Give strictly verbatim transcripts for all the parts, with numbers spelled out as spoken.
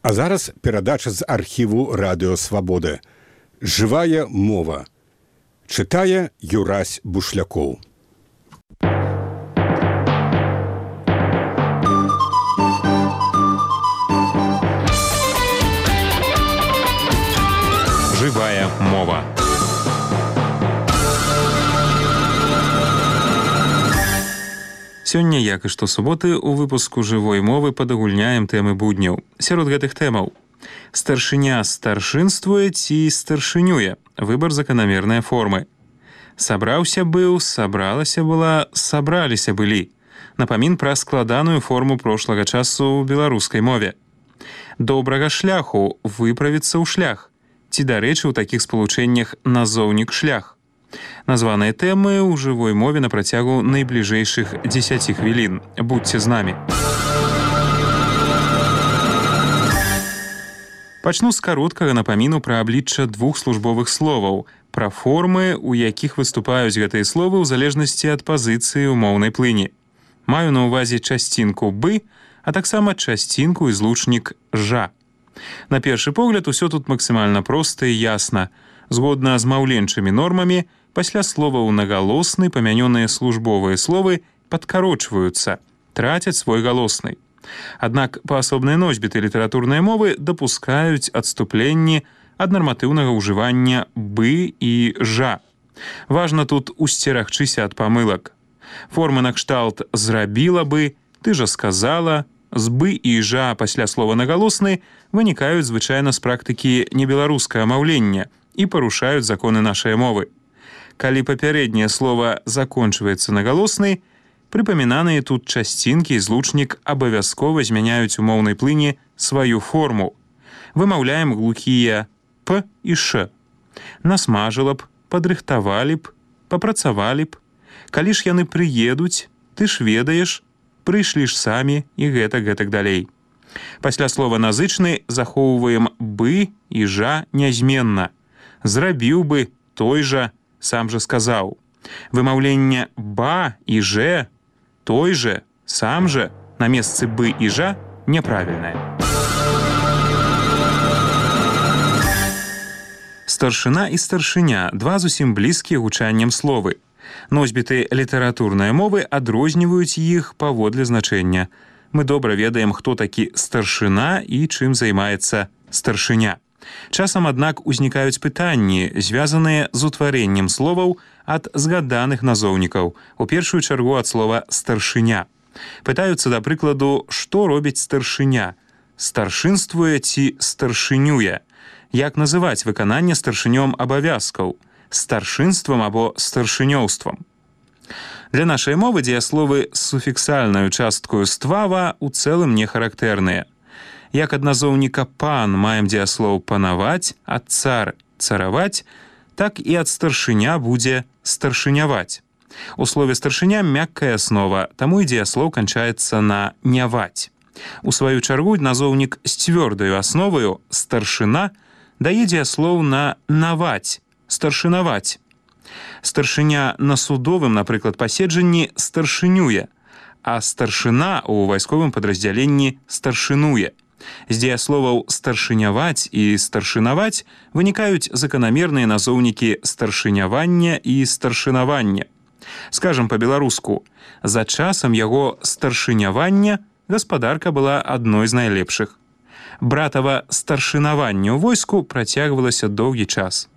А зараз перадача з архіву Радыё Свабода. Жывая мова. Чытае Юрась Бушлякоў. Жывая мова. Сёння, як і штосуботы, у выпуску жывой мовы падагульняем тэмы будняў. Сярод гэтых тэмаў: старшыня старшынствуе ці старшынюе, выбар заканамернай формы. Сабраўся быў, сабралася была, сабраліся былі. Напамін пра складаную форму прошлага часу ў беларускай мове. Добрага шляху, выправіцца ў шлях. Ці, дарэчы, у такіх спалучэннях назоўнік шлях. Названыя тэмы ў жывой мове на працягу найбліжэйшых дзесяці хвілін. Будьце з намі. Пачну з кароткага напаміну пра аблічча двух службовых словаў, пра формы, у якіх выступаюць гэтыя словы ў залежнасці ад пазіцыі ў моўнай плыні. Маю на ўвазе часцінку «бы», а таксама часцінку і злучнік «жа». На першы погляд, усё тут максімальна проста і ясна. Згодна з маўленчымі нормамі, пасля словаў нагалосны памянёныя службовыя словы падкарочваюцца, трацяць свой галосны. Аднак паасобныя носьбіты літаратурнай мовы дапускаюць адступленні ад нарматыўнага ўжывання «бы» і «жа». Важна тут усцерагчыся ад памылак. Формы накшталт «зрабіла бы», «ты жа сказала», з «бы» і «жа» пасля слова нагалосны вынікаюць звычайна з практыкі небеларускага маўлення і парушаюць законы нашай мовы. Калі папярэдняе слова закончваецца нагалоснай, прыпамінаныя тут часцінкі і злучнік абавязкова змяняюць у моўнай плыні сваю форму. Вымаўляем глухія «п» і «ш». Насмажыла б, падрыхтавалі б, папрацавалі б. Калі ж яны прыедуць, ты ж ведаеш, прыйшлі ж самі і гэтак гэтак далей. Пасля слова назычны захоўваем «бы» і «жа» нязменна. Зрабіў бы, той жа, сам жа сказаў. Вымаўленне «ба» і «же», той же, сам же на месцы «бы» і «жа» няправільнае. Старшына і старшыня – два зусім блізкія гучаннем словы. Носьбіты літаратурнай мовы адрозніваюць іх паводле значэння. Мы добра ведаем, хто такі старшына і чым займаецца старшыня. Часам, аднак, узнікаюць пытанні, звязаныя з утварэннем словаў ад згаданых назоўнікаў, у першую чаргу ад слова «старшыня». Пытаюцца, да прыкладу, што робіць старшыня? Старшынствуе ці старшынюе? Як называць выкананне старшынём абавязкаў? Старшынствам або старшынёўствам? Для нашай мовы дзеясловы з суфіксальнаю часткаю «ствава» у цэлым не характэрныя. Як ад назоўніка «пан» маем дзеяслоў «панаваць», ад «цар» – «цараваць», так і ад старшыня будзе «старшыняваць». У слове «старшыня» мяккая аснова, таму і дзеяслоў канчаецца на «няваць». У сваю чаргу назоўнік з цвёрдаю асноваю «старшына» дае дзеяслоў на «наваць», «старшынаваць». Старшыня на судовым, напрыклад, паседжанні старшынюе, а старшына ў вайсковым падраздзяленні старшынуе. З дзеясловаў «старшыняваць» і «старшынаваць» вынікаюць заканамерныя назоўнікі старшынявання і старшынавання. Скажам па-беларуску, за часам яго старшынявання гаспадарка была адной з найлепшых. Братава старшынаванне ў войску працягвалася доўгі час.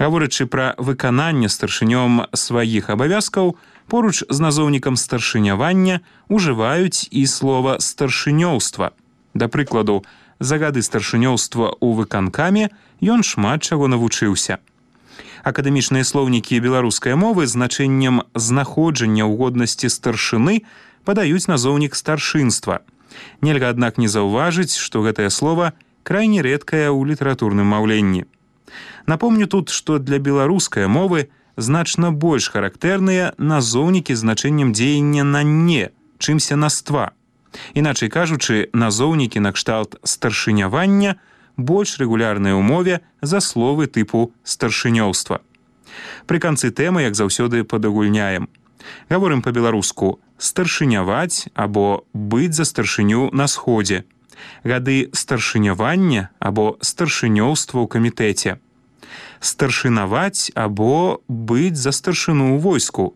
Гаворачы пра выкананне старшынём сваіх абавязкаў, поруч з назоўнікам старшынявання ужываюць і слова «старшынёўства». Да прыкладу, за гады старшынёўства ў выканкаме ён шмат чаго навучыўся. Акадэмічныя слоўнікі беларускай мовы з значэннем знаходжання ў годнасці старшыны падаюць назоўнік старшынства. Нельга, аднак, не заўважыць, што гэтае слова крайне рэдкае ў літаратурным маўленні. Напомню тут, што для беларускай мовы значна больш характэрныя назоўнікі з значэннем дзеяння на «не», чымся на «ства». Іначай кажучы, назоўнікі накшталт старшынявання больш рэгулярныя ў мове за словы тыпу старшынёўства. Пры канцы тэмы, як заўсёды, падагульняем. Гаворым па-беларуску «старшыняваць» або «быць за старшыню на сходзе». Гады старшынявання або старшынёўства ў камітэце. Старшынаваць або быць за старшыну ў войску.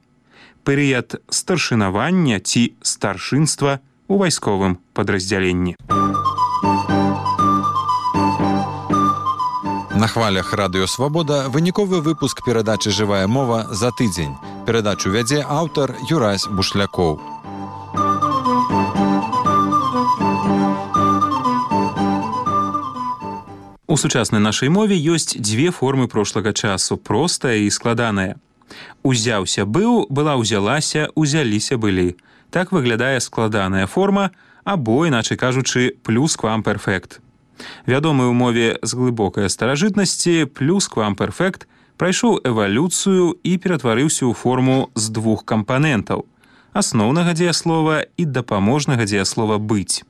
Перыяд старшынавання ці старшынства у вайсковым падраздзяленні. На хвалях Радыё Свабода выніковы выпуск перадачы «Жывая мова» за тыдзень. Перадачу вядзе аўтар Юрась Бушлякоў. У сучаснай нашай мове ёсць дзве формы прошлага часу, простая і складаная. Узяўся быў, была ўзялася, узяліся былі. Так выглядае складаная форма, або, іначай кажучы, плюсквамперфект. Вядомы ў мове з глыбокай старажытнасці, плюсквамперфект прайшоў эвалюцыю і ператварыўся ў форму з двух кампанентаў – асноўнага дзеяслова і дапаможнага дзеяслова «быць».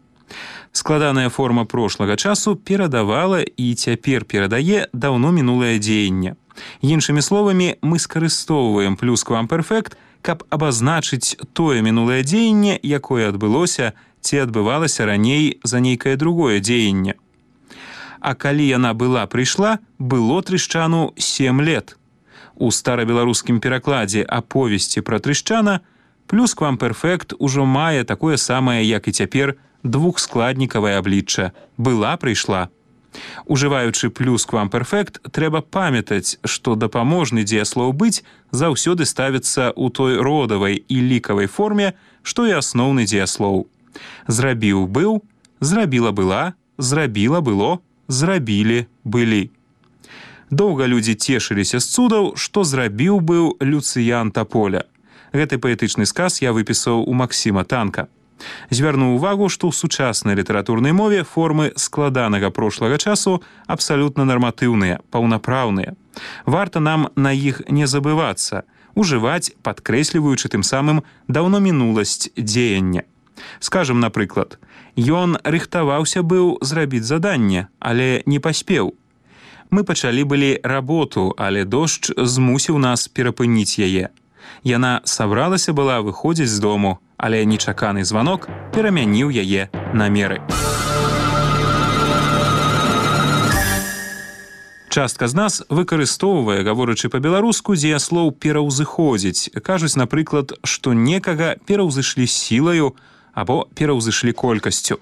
Складаная форма прошлага часу перадавала і цяпер перадае даўно мінулае дзеянне. Іншымі словамі, мы скарыстоўваем плюсквамперфект, каб абазначыць тое мінулае дзеянне, якое адбылося ці адбывалася раней за нейкае другое дзеянне. А калі яна была прыйшла, было Трышчану сем лет. У старабеларускім перакладзе аповесці пра Трышчана плюсквамперфект ужо мае такое самае, як і цяпер, двухскладнікавае аблічча «была прыйшла». Ужываючы плюсквамперфект, трэба памятаць, што дапаможны дзеяслоў «быць» заўсёды ставіцца ў той родавай і лікавай форме, што і асноўны дзеяслоў. Зрабіў быў, зрабіла была, зрабіла было, зрабілі былі. Доўга людзі цешыліся з цудаў, што зрабіў быў Люцыян Таполя. Гэты паэтычны сказ я выпісаў у Максіма Танка. Звярну ўвагу, што ў сучаснай літаратурнай мове формы складанага прошлага часу абсалютна нарматыўныя, паўнапраўныя. Варта нам на іх не забывацца, ужываць, падкрэсліваючы тым самым даўно мінуласць дзеяння. Скажам, напрыклад, ён рыхтаваўся быў зрабіць заданне, але не паспеў. Мы пачалі былі работу, але дождж змусіў нас перапыніць яе. Яна сабралася была выходзіць з дому, але нечаканы званок перамяніў яе намеры. Частка з нас выкарыстоўвае, гаворачы па-беларуску, дзеяслоў «пераўзыходзіць». Кажуць, напрыклад, што некага пераўзышлі сілаю або пераўзышлі колькасцю.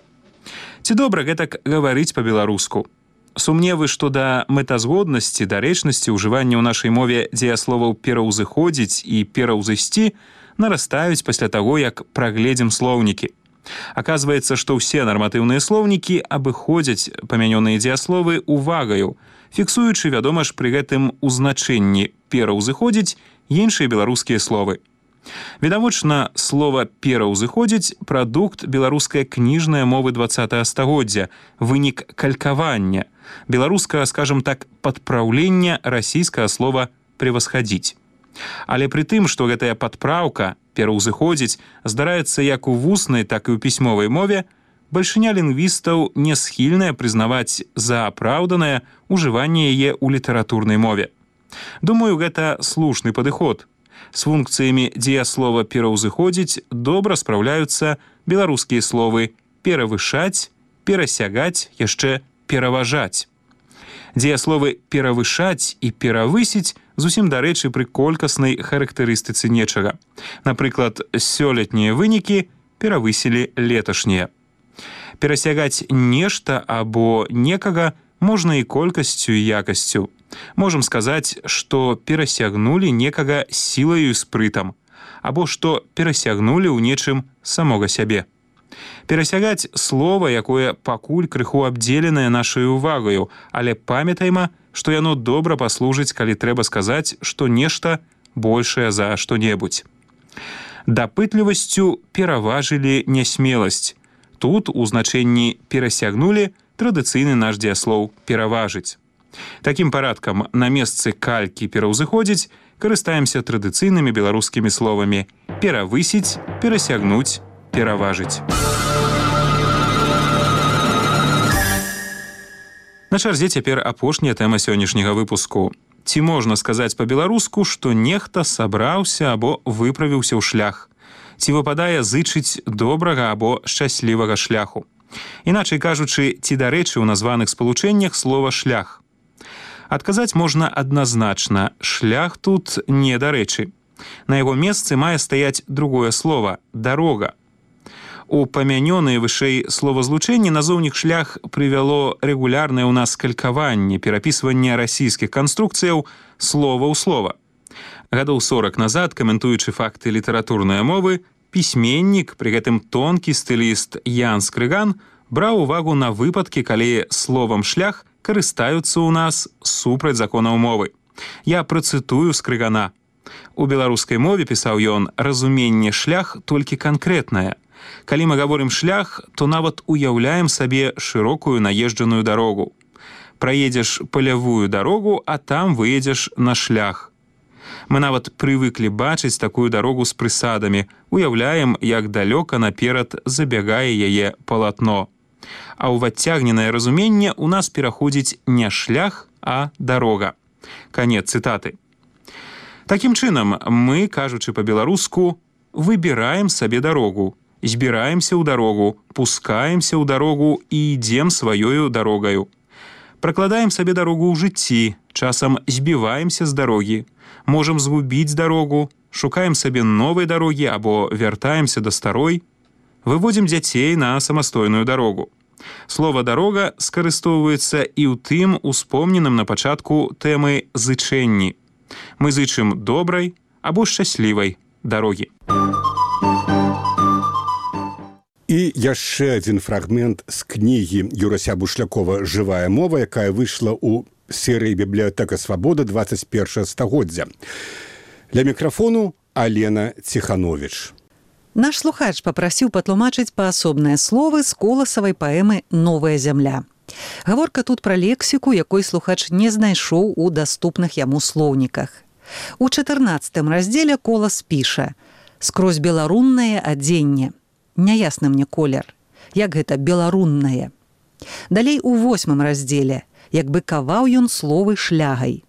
Ці добра гэтак гаварыць па-беларуску? Сумневы, што да мэтазгоднасці, дарэчнасці ўжывання ў нашай мове дзеясловаў «пераўзыходзіць» і «пераўзысці» нарастаюць пасля таго, як прагледзім слоўнікі. Аказваецца, што ўсе нарматыўныя слоўнікі абыходзяць памянёныя дзеясловы увагаю, фіксуючы, вядома ж, пры гэтым у значэнні «пераўзыходзіць» іншыя беларускія словы. Відавочна, слова «пераўзыходзіць» – прадукт беларускай кніжнай мовы дваццатага стагоддзя, вынік калькавання, беларускага, скажам так, падпраўлення расійскага слова «превасхадзіць». Але пры тым, што гэтая падпраўка, пераўзыходзіць, здараецца як у вуснай, так і ў пісьмовай мове, бальшыня лінгвістаў не схільная прызнаваць за апраўданае ўжыванне яе ў літаратурнай мове. Думаю, гэта слушны падыход. З функцыямі дзеяслова «пераўзыходзіць» добра спраўляюцца беларускія словы «перавышаць», «перасягаць», яшчэ «пераважаць». Дзеясловы «перавышаць» і «перавысіць» зусім дарэчы пры колькаснай характарыстыцы нечага. Напрыклад, сёлетнія вынікі перавысілі леташнія. Перасягаць нешта або некага можна і колькасцю, і якасцю. Можам сказаць, што перасягнулі некага сілаю і спрытам, або што перасягнулі ў нечым самога сябе. Перасягаць слова, якое пакуль крыху абдзеленае нашай увагаю, але памятайма, што яно добра паслужыць, калі трэба сказаць, што нешта большае за што-небудзь. Дапытлівасцю пераважылі нясмеласць. Тут у значэнні «перасягнулі» традыцыйны наш дзеяслоў «пераважыць». Такім парадкам на месцы калькі «пераўзыходзіць» карыстаемся традыцыйнымі беларускімі словамі «перавысіць», «перасягнуць», «пераважыць». На чарзе цяпер апошняя тэма сённяшняга выпуску. Ці можна сказаць па-беларуску, што нехта сабраўся або выправіўся ў шлях? Ці выпадае зычыць добрага або шчаслівага шляху? Іначай кажучы, ці дарэчы ў названых спалучэннях слова «шлях». Адказаць можна адназначна, шлях тут не дарэчы. На яго месцы мае стаяць другое слово – «дарога». У памянёныя вышэй словазлучэнні назоўнік «шлях» прывяло рэгулярнае ў нас калькаванне, перапісванне расійскіх канструкцыяў слова ў слова. Гадоў сорак назад, каментуючы факты літаратурнай мовы, пісьменнік, пры гэтым тонкі стыліст Ян Скрыган, браў увагу на выпадкі, калі словам «шлях» карыстаюцца ў нас супраць законаў мовы. Я працытую Скрыгана. У беларускай мове, пісаў ён, разуменне «шлях» толькі канкрэтнае. Калі мы гаворым «шлях», то нават уяўляем сабе шырокую наезджаную дарогу. Праедзеш палявую дарогу, а там выедзеш на шлях. Мы нават прывыклі бачыць такую дарогу з прысадамі, уяўляем, як далёка наперад забягае яе палатно. А ў адцягненае разуменне ў нас пераходзіць не шлях, а дарога. Канец цытаты. Такім чынам, мы, кажучы па-беларуску, выбіраем сабе дарогу, збіраемся ў дарогу, пускаемся ў дарогу і ідзем сваёю дарогаю. Пракладаем сабе дарогу ў жыцці, часам збіваемся з дарогі, можам згубіць дарогу, шукаем сабе новай дарогі або вяртаемся да старой, выводзім дзяцей на самастойную дарогу. Слова «дарога» скарыстоўваецца і ў тым успомненым на пачатку тэмы «зычэнні». Мы зычым добрай або шчаслівай дарогі. І яшчэ адзін фрагмент з кнігі Юрася Бушлякова «Жывая мова», якая выйшла ў серыі «Бібліятэка Свабода» двадцать першае стагоддзя. Для мікрафону Алена Ціхановіч. Наш слухач папрасіў патлумачыць паасобныя словы з коласавай паэмы «Новая зямля». Гаворка тут пра лексіку, якой слухач не знайшоў у даступных яму слоўніках. У чатырнаццатым раздзеле Колас піша «Скрозь беларуннае адзенне». Няясны мне колер. Як гэта беларуннае? Далей у восьмым раздзеле, як бы каваў ён словы шлягай.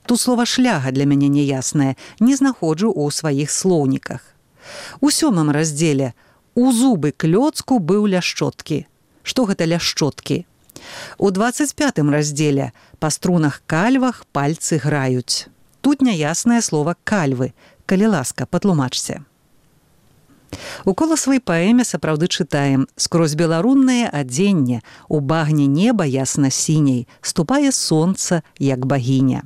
Тут слова «шляга» для мяне няяснае, не знаходжу ў сваіх слоўніках. У сёмым раздзеле у зубы клёцку быў ляшчоткі. Што гэта ляшчоткі? У двадцать пятым раздзеле па струнах кальвах пальцы граюць. Тут няяснае слова «кальвы». Калі ласка, патлумачце. У коласавай паэме сапраўды чытаем «Скрозь беларуннае адзенне, у багне неба ясна-сіняй, ступае сонца, як багіня».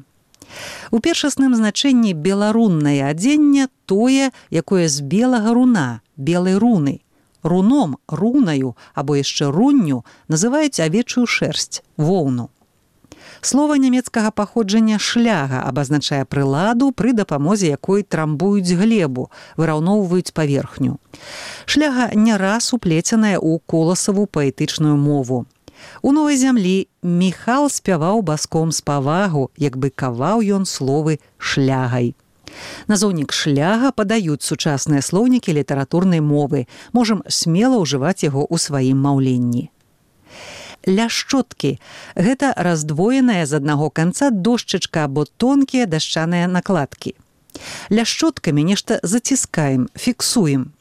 У першасным значэнні беларуннае адзенне тое, якое з белага руна, белай руны. Руном, рунаю або яшчэ рунню называюць авечую шэрсць, воўну. Слова нямецкага паходжання «шляга» абазначае прыладу, пры дапамозе якой трамбуюць глебу, выраўноўваюць паверхню. Шляга не раз уплеценая ў коласаву паэтычную мову. У «Новай зямлі» Міхал спяваў баском з павагу, як бы каваў ён словы «шлягай». Назоўнік «шляга» падаюць сучасныя слоўнікі літаратурнай мовы. Можам смела ўжываць яго ў сваім маўленні. Ляшчоткі – гэта раздвоеная з аднаго канца дошчачка або тонкія дашчаныя накладкі. Ляшчоткамі нешта заціскаем, фіксуем.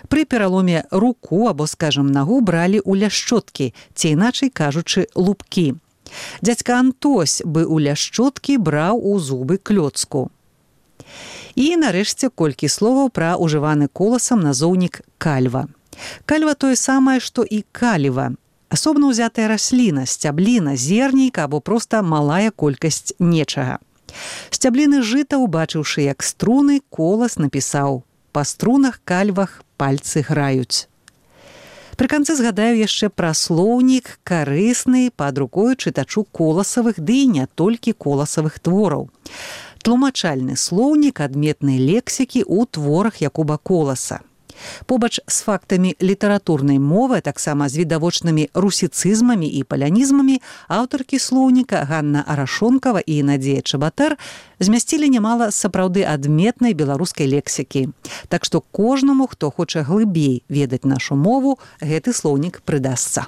Пры пераломе руку або, скажам, нагу бралі ў ляшчоткі, ці іначай кажучы, лупкі. Дзядзька Антось бы ў ляшчоткі браў у зубы клёцку. І, нарэшце, колькі словаў пра ўжываны коласам назоўнік «кальва». Кальва тое самае, што і каліва. Асобна ўзятая расліна, сцябліна, зернейка або проста малая колькасць нечага. Сцябліны жыта, убачыўшы як струны, Колас напісаў «Па струнах кальвах пальцы граюць». Пры канцы згадаю яшчэ пра слоўнік, карысны пад рукою чытачу коласавых, ды і не толькі коласавых твораў. Тлумачальны слоўнік адметнай лексікі ў творах Якуба Коласа. Побач з фактамі літаратурнай мовы, таксама з відавочнымі русіцызмамі і палянізмамі, аўтаркі слоўніка Ганна Арашонкава і Надзея Чабатар змясцілі нямала сапраўды адметнай беларускай лексікі. Так што кожнаму, хто хоча глыбей ведаць нашу мову, гэты слоўнік прыдасца.